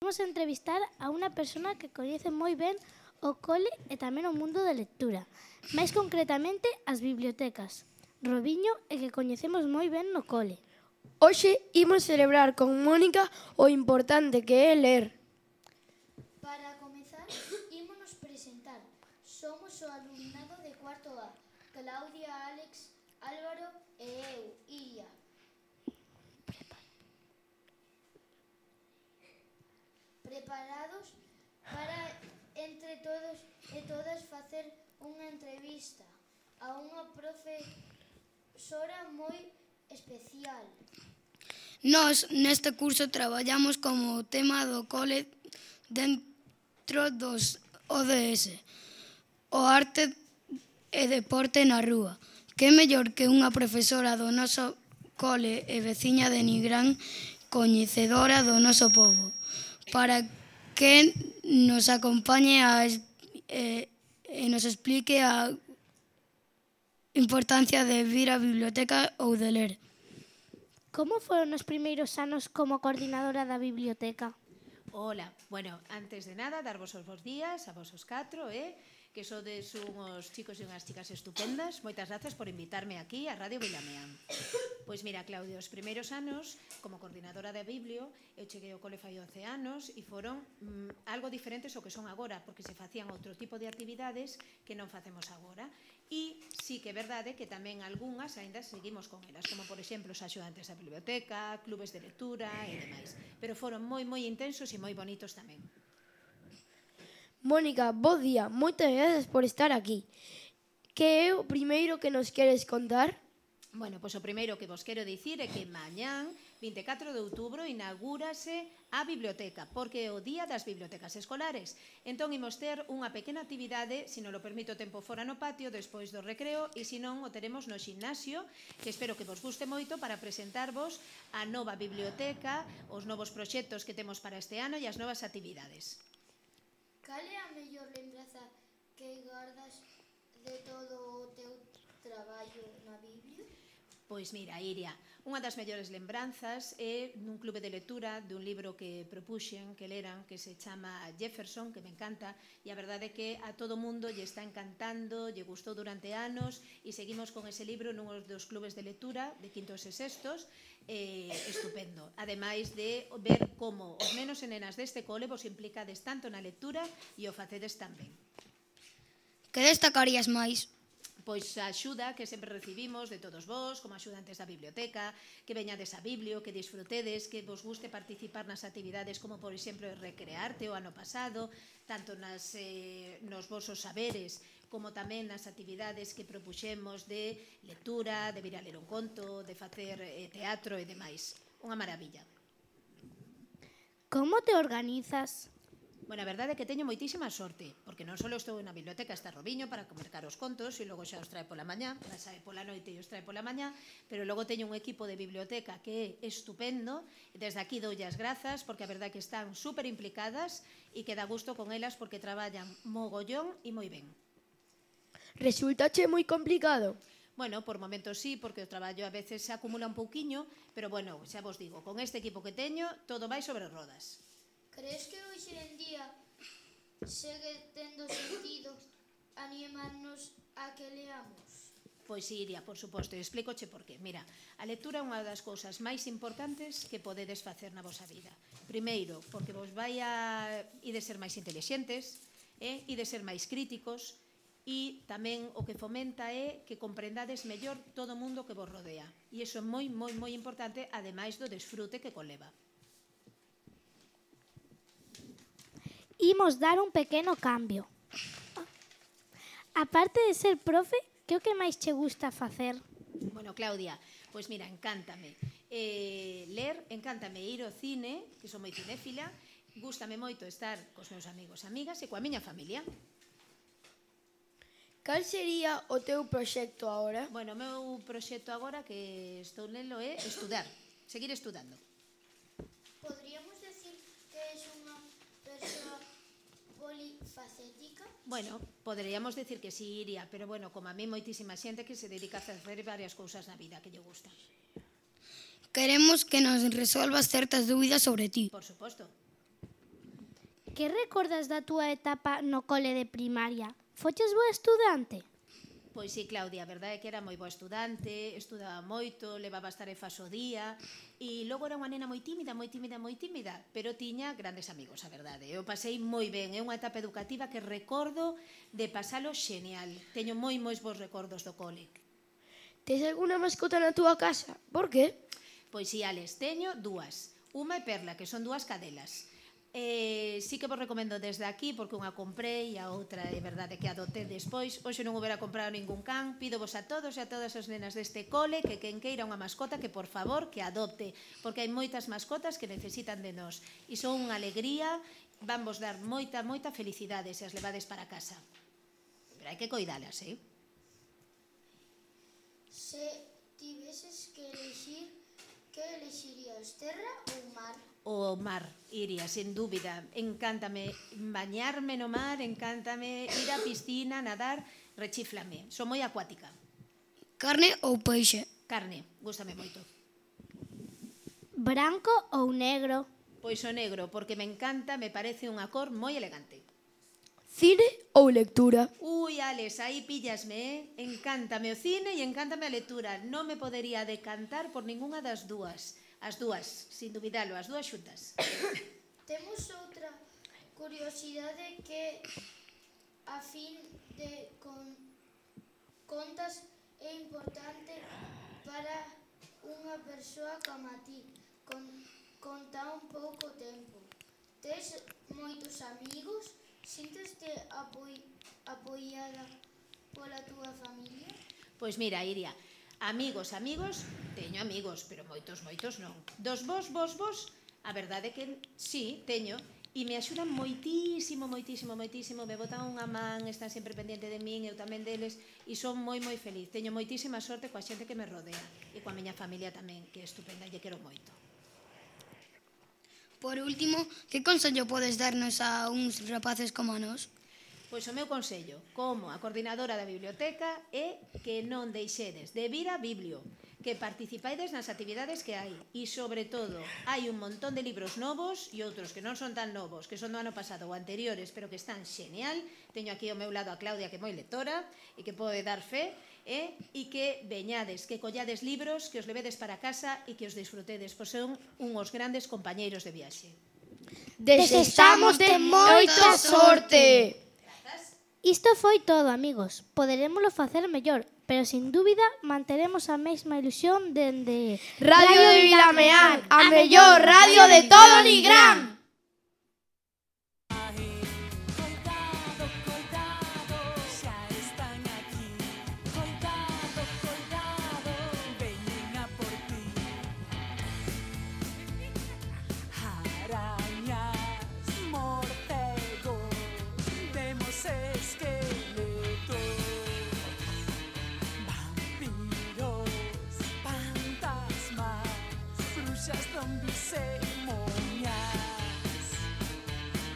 vamos a entrevistar a unha persona que coñece moi ben o cole e tamén o mundo da lectura, máis concretamente as bibliotecas, Robiño, e que coñecemos moi ben no cole. Hoxe imos celebrar con Mónica o importante que é ler. Para comezar, ímonos presentar. Somos o alumnado de cuarto A, Claudia, Alex, Álvaro e eu, Iria. Preparados para, entre todos e todas, facer unha entrevista a unha profesora moi especial. Nós, neste curso, traballamos como tema do cole dentro dos ODS, o arte e deporte na rúa. Que mellor que unha profesora do noso cole e veciña de Nigrán, coñecedora do noso pobo, para que nos acompañe e nos explique a importancia de vir á biblioteca ou de ler. Como foron os primeiros anos como coordinadora da biblioteca? Ola, bueno, antes de nada, darvos os bons días a vos os catro, que sodes unhos chicos e unhas chicas estupendas. Moitas grazas por invitarme aquí a Radio Vilameán. Pois mira, Claudio, os primeiros anos, como coordinadora de Biblio, eu cheguei ao cole fai 11 anos e foron algo diferentes ao que son agora, porque se facían outro tipo de actividades que non facemos agora. E sí que é verdade que tamén algunhas aínda seguimos con elas, como por exemplo os axudantes da biblioteca, clubes de lectura e demais. Pero foron moi intensos e moi bonitos tamén. Mónica, bo día, moitas grazas por estar aquí. Que é o primeiro que nos queres contar? Bueno, pois o primeiro que vos quero dicir é que mañán, 24 de outubro, inaugúrase a biblioteca, porque é o día das bibliotecas escolares. Entón, imos ter unha pequena actividade, se non lo permito o tempo fora no patio, despois do recreo, e se non, o teremos no ximnasio, que espero que vos guste moito para presentarvos a nova biblioteca, os novos proxectos que temos para este ano e as novas actividades. Cal é a mellor lembranza que gardas de todo o teu traballo na Biblia? Pois mira, Iria, unha das mellores lembranzas é nun clube de lectura dun libro que propuxen, que leran, que se chama Jefferson, que me encanta, e a verdade é que a todo mundo lle está encantando, lle gustou durante anos, e seguimos con ese libro nun dos clubes de lectura de quintos e sextos, estupendo. Ademais de ver como os nenos e nenas deste cole vos implicades tanto na lectura e o facedes tamén. Que destacarías máis? Pois a axuda que sempre recibimos de todos vós, como axudantes da biblioteca, que veñades a Biblio, que disfrutedes, que vos guste participar nas actividades como, por exemplo, Recrearte o ano pasado, tanto nos vosos saberes, como tamén nas actividades que propuxemos de lectura, de vir a ler un conto, de facer teatro e demais. Unha maravilla. Como te organizas? Bueno, a verdade é que teño moitísima sorte, porque non só estou na biblioteca, está Robiño para mercar os contos e logo xa os trae pola mañá, para sae pola noite e os trae pola mañá, pero logo teño un equipo de biblioteca que é estupendo, e desde aquí doulle as grazas, porque a verdade é que están super implicadas e que dá gusto con elas porque traballan mogollón e moi ben. Resultache moi complicado? Bueno, por momentos sí, porque o traballo a veces se acumula un pouquiño, pero bueno, xa vos digo, con este equipo que teño, todo vai sobre rodas. Crees que hoxe en día segue tendo sentido animarnos a que leamos? Pois Iria, por suposto, e explícoche por qué. Mira, a lectura é unha das cousas máis importantes que podedes facer na vosa vida. Primeiro, porque vos vai a de ser máis intelixentes, e de ser máis críticos, e tamén o que fomenta é que comprendades mellor todo o mundo que vos rodea. E iso é moi importante, ademais do desfrute que conleva. Imos dar un pequeno cambio. Aparte de ser profe, que é o que máis che gusta facer? Bueno, Claudia, pois mira, encántame ler, encántame ir ao cine, que son moi cinéfila, gústame moito estar cos meus amigos e amigas e coa miña familia. Cal sería o teu proxecto agora? Bueno, o meu proxecto agora que estou nelo é estudar, seguir estudando. Podríamos decir que és unha persoa polifacética? Bueno, poderíamos decir que sí, Iria, pero bueno, como a mí moitísima xente que se dedica a facer varias cousas na vida que lle gustan. Queremos que nos resolvas certas dúbidas sobre ti. Por suposto. que recordas da túa etapa no cole de primaria? Foches boa estudante? Pois sí, Claudia, a verdade é que era moi boa estudante, estudaba moito, levaba as tarefas ao día e logo era unha nena moi tímida, pero tiña grandes amigos, a verdade. Eu pasei moi ben, é unha etapa educativa que recordo de pasalo xenial. Teño moi bons recordos do cole. Tes alguna mascota na túa casa? Por que? Pois si, Alex, teño dúas. Unha é Perla, que son dúas cadelas. Sí que vos recomendo desde aquí, porque unha comprei e a outra é verdade que adoptei despois. Hoxe non houbera comprado ningún can. Pídovos a todos e a todas as nenas deste cole que quen queira unha mascota que, por favor, que adopte, porque hai moitas mascotas que necesitan de nós e son unha alegría, van vos dar moita felicidade se as levades para casa. Pero hai que coidalas, Se tiveses que elixir, que elexirías, terra ou mar? O mar, Iria, sen dúbida. Encántame bañarme no mar, encántame ir á piscina, nadar, rechíflame. Son moi acuática. Carne ou peixe? Carne, gústame moito. Branco ou negro? Pois o negro, porque me encanta, me parece unha cor moi elegante. Cine ou lectura? Ui, Alex, aí píllasme, Encántame o cine e encántame a lectura. Non me podería decantar por ningunha das dúas. As dúas, sin dubidalo, as dúas xuntas. Temos outra curiosidade que, a fin de contas, é importante para unha persoa como a ti, con tan pouco tempo. Tes moitos amigos? Sinteste apoiada pola túa familia? Pois mira, Iria, amigos, teño amigos, pero moitos non. Dos vos, a verdade é que sí, teño, e me axudan moitísimo, me botan unha man, están sempre pendiente de min, eu tamén deles, e son moi feliz. Teño moitísima sorte coa xente que me rodea, e coa miña familia tamén, que é estupenda, lle quero moito. Por último, que consello podes darnos a uns rapaces como a nós? Pois o meu consello, como a coordinadora da biblioteca, é que non deixedes de vir a Biblio, que participaides nas actividades que hai e, sobre todo, hai un montón de libros novos e outros que non son tan novos, que son do ano pasado ou anteriores, pero que están xenial. Teño aquí ao meu lado a Claudia, que é moi lectora e que pode dar fe, e que veñades, que collades libros, que os levedes para casa e que os disfrutedes, pois son uns grandes compañeiros de viaxe. Desexamos de moita sorte! Isto foi todo, amigos. Poderémolo facer mellor, pero sin dúbida manteremos a mesma ilusión dende Radio de Vilameán, a mellor radio de todo Nigrán! Zombies say more.